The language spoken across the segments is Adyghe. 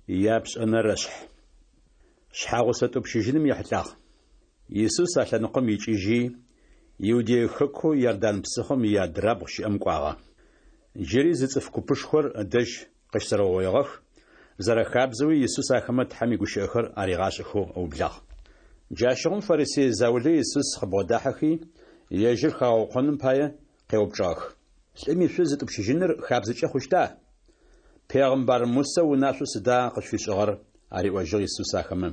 Япшӏэнэрэшъхь. Шъхьагъусэ тӏупщыжьыным ехьылӏагъ. Исус а лъэныкъом икӏыжьи, Иудей хэкоу Иордан псыхъом иадрабгъу щыӏэм кӏуагъэ. Джыри зы цӏыф купышхор ыдэжь къыщызэрэугъоигъэх, зэрэхабзэуи Исус ахэмэ Тхьэм игущыӏэхэр аригъашӏэхэу ыублагъ. Джащыгъум фарисей заулэ Исус къыбгъодахьэхи, ежьыр хагъэукъоным пае, къеупчӏыгъэх. Лӏым ишъуз ытӏупщыжьыныр хабзэкӏэ хъущта? Пегъымбар Мусэ унашъоу сыда къышъуфишӏыгъэр? ариӏожьыгъ Исус ахэмэ.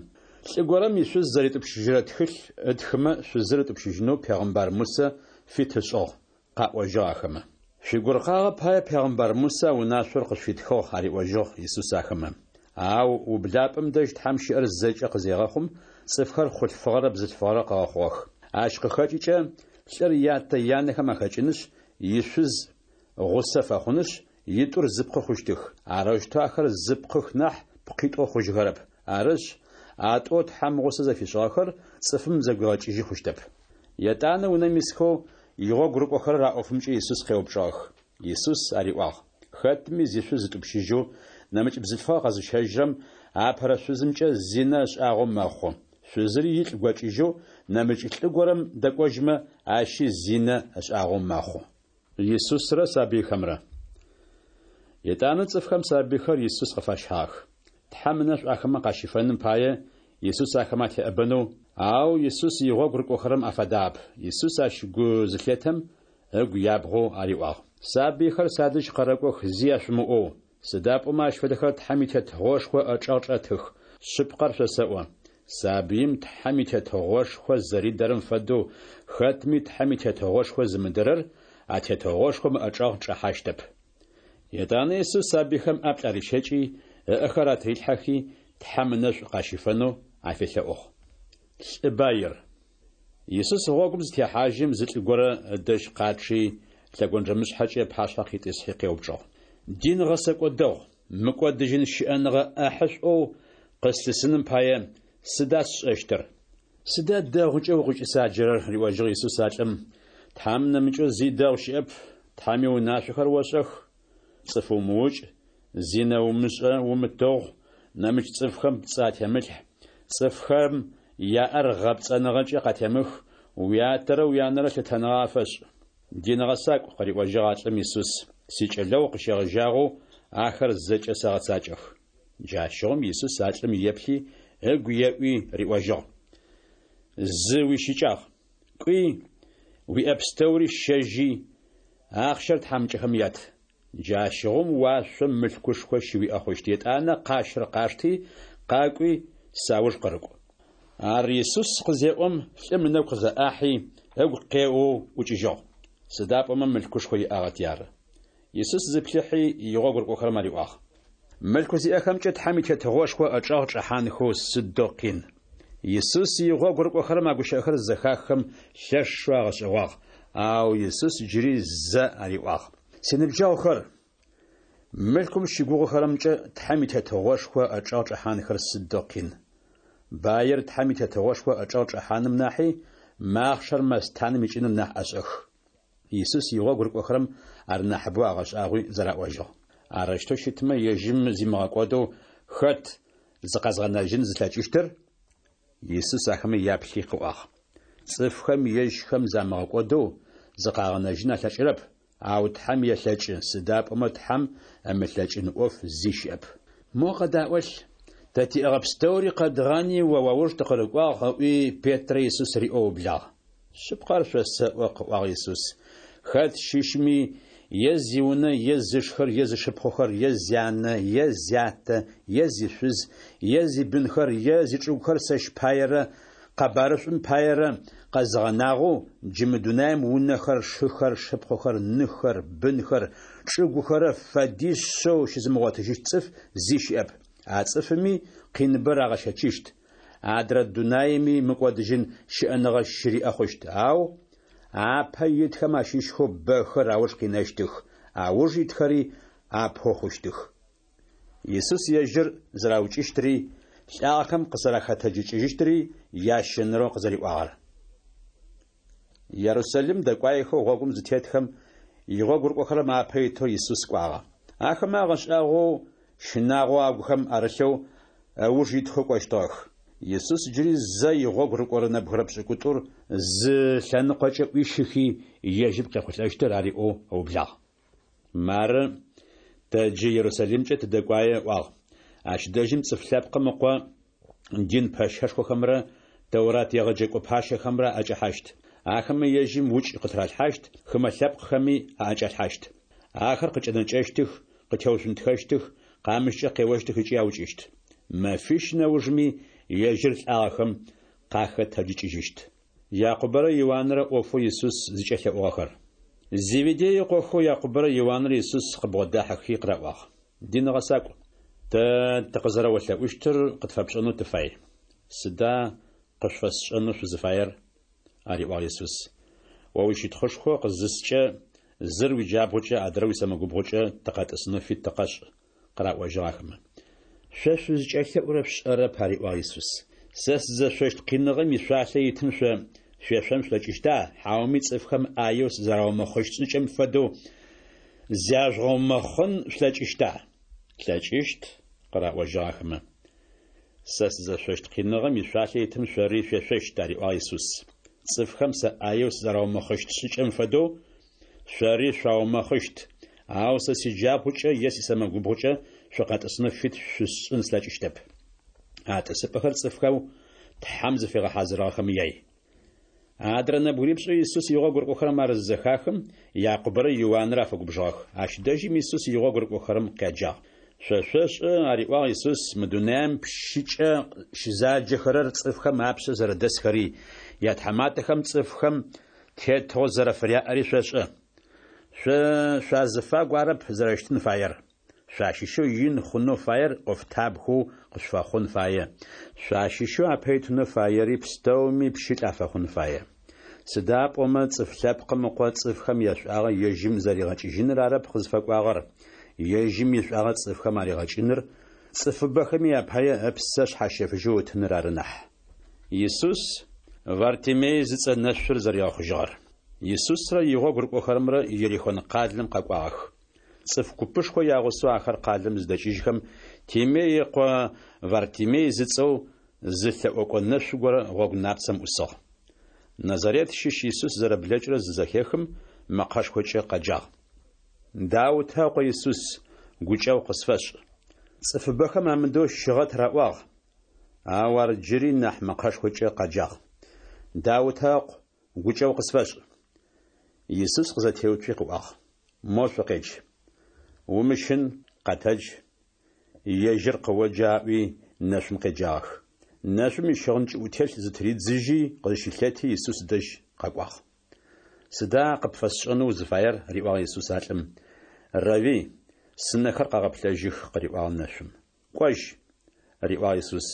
Лӏы горэм ишъуз зэритӏупщыжьырэ тхылъ ытхымэ шъузыр ытӏупщыжьынэу пегъымбар Мусэ фит ышӏыгъ, къаӏожьыгъ ахэмэ. Шъуигуркъагъэ пае пегъымбар Мусэ а унашъор къышъуфитхыгъ, ариӏожьыгъ Исус ахэмэ. Ау ублапӏэм дэжь Тхьэм щыӏэр зэкӏэ къызегъэхъум, цӏыфхэр хъулъфыгъэрэ бзылъфыгъэрэ къыгъэхъугъэх. Ащ къыхэкӏыкӏэ лӏыр ятэ-янэхэм ахэкӏынышъ, ишъуз гъусэ фэхъунышъ, итӏур зы пкъы хъущтых. Арэущтэу ахэр зы пкъых нахь, пкъитӏоу хъужьыхэрэп. Арышъ, а тӏоу Тхьэм гъусэ зэфишӏыгъэхэр цӏыфым зэгуигъэкӏыжьы хъущтэп. Етӏанэ унэм исхэу игъогу рыкӏохэрэр а ӏофымкӏэ Исус къеупчӏыгъэх. Исус ариӏуагъ, Хэтми зишъуз ытӏупщыжьэу, нэмыкӏ бзылъфыгъэ къэзыщэжьрэм апэрэ шъузымкӏэ зинэ ышӏагъэу мэхъу. Шъузыри илӏ гокӏыжьэу нэмыкӏ лӏы горэм дэкӏожьмэ, ащи зинэ ышӏагъэу мэхъу. Исусрэ сабыйхэмрэ. Етӏанэ цӏыфхэм сабыйхэр Исус къыфащагъэх. Тхьэм ынэшӏу ахэмэ къащифэным пае, Исус ахэмэ атеӏэбэнэу, ау Исус игъогу рыкӏохэрэм афадагъэп. Исус ащ гу зылъетэм, ыгу ябгъэу ариӏуагъ. Сабыйхэр садэжь къэрэкӏох зи яшъумыӏоу, сыда пӏомэ ащ фэдэхэр Тхьэм и Тетыгъошхо ӏэчӏэгъ чӏэтых. Шъыпкъэр шъосэӏо, сабыим Тхьэм и Тетыгъошхо зэридэрэм фэдэу, хэтми Тхьэм и Тетыгъошхо зымыдэрэр а Тетыгъошхом ыӏэчӏэгъ чӏэхьащтэп. Етӏанэ Исус сабыйхэм ӏаплӏ арищэкӏи, ыӏэхэр атырилъхьэхи, Тхьэм ынэшӏу къащифэнэу афелъэӏугъ. Лӏы баир. Исус гъогум зытехьажьым, зы лӏы горэ ыдэжь къачъи, лъэгонджэмышъхьэкӏэ ыпашъхьэ къитӏысхьи къеупчӏыгъ. Дин гъэсэкӏо дэгъу, мыкӏодыжьын щыӏэныгъэ ӏэхьышӏоу къыслъысыным пае сыда сшӏэщтыр? Сыда дэгъукӏэ укъыкӏысаджэрэр? риӏожьыгъ Исус а лӏым. Тхьэм нэмыкӏэу зи дэгъу щыӏэп, Тхьэм иунашъохэр ошӏэх, Цӏыф умыукӏ, зинэ умышӏэ, умытыгъу, нэмыкӏ цӏыфхэм пцӏы атемылъхь, цӏыфхэм яӏэр гъэпцӏэныгъэкӏэ къатемых, уятэрэ уянэрэ лъытэныгъэ афэшӏ. Дин гъэсакӏу, къыриӏожьыгъ а лӏым Исус, сикӏэлэгъу къыщегъэжьагъэу ахэр зэкӏэ сэгъэцакӏэх. Джащыгъум Исус а лӏым еплъи, ыгу еӏуи риӏожьыгъ, Зы уищыкӏагъ. Кӏуи, уиӏэ пстэури щэжьи, ахъщэр тхьамыкӏэхэм ят. Джащыгъум уашъом мылъкушхо щыуиӏэ хъущт. Етӏанэ къащыр къашти, къакӏуи, сауж къырыкӏу. Ар Исус къызеӏом, лӏым ынэгу къызэӏахьи, ыгу къеоу ӏукӏыжьыгъ. Сыда пӏомэ мылъкушхо иӏагъэти ары. Исус зиплъыхьи, игъогу рыкӏохэрэм ариӏуагъ. Мылъку зиӏэхэмкӏэ Тхьэм и Тетыгъошхо ычӏэгъ чӏэхьанхэу сыдэу къин! Исус игъогу рыкӏохэрэм а гущыӏэхэр зызэхаххэм лъэшэу агъэшӏэгъуагъ, ау Исус джыри зэ ариӏуагъ. Синыбджэгъухэр, мылъкум щыгугъыхэрэмкӏэ Тхьэм и Тетыгъошхо ычӏэгъ чӏэхьанхэр сыдэу къин! Баир Тхьэм и Тетыгъошхо ычӏэгъ чӏэхьаным нахьи, махъшэр мэстаным икӏыныр нахь ӏэшӏэх. Исус игъогу рыкӏохэрэм ар нахьыбэу агъэшӏагъуи зэраӏожьыгъ. Арэущтэу щытмэ, ежьым зимыгъэкӏодэу хэт зыкъэзгъэнэжьын зылъэкӏыщтыр? Исус ахэмэ яплъи къыӏуагъ. Цӏыфхэм ежьхэм замыгъэкӏодэу зыкъагъэнэжьын алъэкӏырэп, ау Тхьэм елъэкӏы, сыда пӏомэ Тхьэм ымылъэкӏын ӏоф зи щыӏэп. Мо къэдаӏолъ, тэ тиӏэгъэ пстэури къэдгъани о уауж тыкъырыкӏуагъ, ыӏуи Петрэ Исус риӏоу ыублагъ. Шъыпкъэр шъосэӏо, къыӏуагъ Исус, хэт щыщми, е зиунэ, е зышхэр, е зышыпхъухэр, е зянэ, е зятэ, е зишъуз, е зибынхэр, е зичӏыгухэр сэщ паерэ къэбарышӏум паерэ къэзыгъэнагъэу, джы мы дунаим унэхэр, шыхэр, шыпхъухэр, ныхэр, бынхэр, чӏыгухэрэ фэдишъэу щызымыгъотыжьыщт цӏыф зи щыӏэп. А цӏыфыми къиныбэ рагъэщэчыщт, адрэ дунаими мыкӏодыжьын щыӏэныгъэ щыриӏэ хъущт, ау апэ итхэм ащыщхэу бэхэр ауж къинэщтых, ауж итхэри апэу хъущтых. Исус ежьыр зэраукӏыщтри, лӏагъэхэм къызэрахэтэджыкӏыжьыщтри ящэнэрэу къызэриӏуагъэр. Ерусалим дэкӏуаехэу гъогум зытетхэм, игъогу рыкӏохэрэм апэ итэу Исус кӏуагъэ. Ахэмэ агъэшӏагъоу щынагъо агухэм арылъэу, ыуж итхэу кӏощтыгъэх. Исус джыри зэ игъогу рыкӏорэ нэбгырэ пшӏыкӏутӏур зы лъэныкъокӏэ ӏуищыхи, ежьым къехъулӏэщтыр ариӏоу ыублагъ. Мары, тэ джы Ерусалимкӏэ тыдэкӏуае, ыӏуагъ. Ащ дэжьым Цӏыф Лъэпкъым Ыкъо дин пэщэшхохэмрэ Тэурат егъэджэкӏо пащэхэмрэ аӏэкӏэхьащт. Ахэмэ ежьым укӏ къытыралъхьащт, хымэ лъэпкъхэми аӏэкӏалъхьащт. Ахэр къыкӏэнэкӏэщтых, къытеушъунтхэщтых, къамыщкӏэ къеощтых ыкӏи аукӏыщт. Мэфищ нэужми ежьыр лӏагъэхэм къахэтэджыкӏыжьыщт. Якъубэрэ Иуанрэ ӏофэу Исус зыкӏэлъэӏугъэхэр. Зеведей ыкъохэу Якъубэрэ Иуанрэ Исус къыбгъодахьэхи къыраӏуагъ: Дин гъэсакӏу, тэ тыкъызэрэолъэӏущтыр къытфэпшӏэнэу тыфай. Сыда къышъуфэсшӏэнэу шъузыфаер? ариӏуагъ Исус. О уищытхъушхо къызыскӏэ, зыр уиджабгъукӏэ, адрэр уисэмэгубгъукӏэ тыкъэтӏысынэу фит тыкъэшӏ, къыраӏожьыгъ ахэмэ. Шъо шъузкӏэлъэӏурэр шъушӏэрэп, ариӏуагъ Исус. Сэ сызэшъощт къиныгъэм ишъуалъэ итым шъо шъуешъон шъулъэкӏыщта, хьауми цӏыфхэм ӏаеу сызэраумэхъыщт шӏыкӏэм фэдэу зяжъугъэумэхъын шъулъэкӏыщта? Тлъэкӏыщт, къыраӏожьыгъ ахэмэ. Сэ сызэшъощт къиныгъэм ишъуалъэ итым шъори шъуешъощт, ариӏуагъ Исус. Цӏыфхэм сэ ӏаеу сызэраумэхъыщт шӏыкӏэм фэдэу шъори шъуаумэхъыщт, ау сэ сиджабгъукӏэ е сисэмэгубгъукӏэ шъукъэтӏысынэу фит шъусшӏын слъэкӏыщтэп. А тӏысыпӏэхэр цӏыфхэу Тхьэм зыфигъэхьазырыгъэхэм яй. Адрэ нэбгырипшӏэу Исус игъогу рыкӏохэрэм ар зызэхахым, Якъубэрэ Иуанрэ афэгубжыгъэх. Ащ дэжьым Исус игъогу рыкӏохэрэм къяджагъ. Шъо шъошӏэ, ариӏуагъ Исус, мы дунаим пщыкӏэ щызаджэхэрэр цӏыфхэм апшъэ зэрэдэсхэри, ятхьаматэхэм цӏыфхэм тетыгъо зэрэфыряӏэри шъошӏэ. Шъо шъуазыфагу арэп зэрэщытын фаер. Шъуащыщэу ин хъунэу фаер ӏофтабгэу къышъуфэхъун фае, шъуащыщэу апэ итынэу фаери пстэуми пщылӏ афэхъун фае. Сыда пӏомэ Цӏыф Лъэпкъым Ыкъо цӏыфхэм яшӏуагъэ ежьым зэригъэкӏыжьыныр арэп къызфэкӏуагъэр, ежьым ишӏуагъэ цӏыфхэм аригъэкӏыныр, цӏыфыбэхэми апае ыпсэ шъхьащэфыжьэу ытыныр ары нахь. Исус Вартимей зыцӏэ нэшъур зэригъэхъужьыгъэр. Исусрэ игъогу рыкӏохэрэмрэ Ерихон къалэм къэкӏуагъэх. Цӏыф купышхо ягъусэу ахэр къалэм зыдэкӏыжьхэм, Тимей ыкъо Вартимей зыцӏэу зы лъэӏокӏо нэшъу горэ гъогу напцэм ӏусыгъ. Назарет щыщ Исус зэрэблэкӏырэр зызэхехым, мэкъэшхокӏэ къэджагъ. Даутэ ыкъо Исус, гукӏэгъу къысфэшӏ! Цӏыфыбэхэм амыдэу щыгъэт раӏуагъ, ау ар джыри нахь мэкъэшхокӏэ къэджагъ. Даутэ ыкъу, гукӏэгъу къысфэшӏ! Исус къызэтеуцуи къыӏуагъ, Мо шъукъедж. Умыщын, къэтэдж, ежьыр къыоджэ аӏуи, нэшъум къеджагъэх. Нэшъум ищыгъын кӏыӏутелъ зытыридзыжьи къызщылъэти Исус дэжь къэкӏуагъ. Сыда къыпфэсшӏэнэу узыфаер? риӏуагъ Исус а лӏым. Рэви, сынэхэр къэгъэплъэжьых, къыриӏуагъ нэшъум. Кӏожь, риӏуагъ Исус,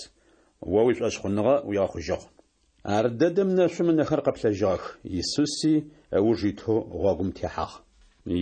о уишӏошъхъуныгъэ уигъэхъужьыгъ. Ардэдэм нэшъум ынэхэр къэплъэжьыгъэх, Исуси ыуж итэу гъогум техьагъ.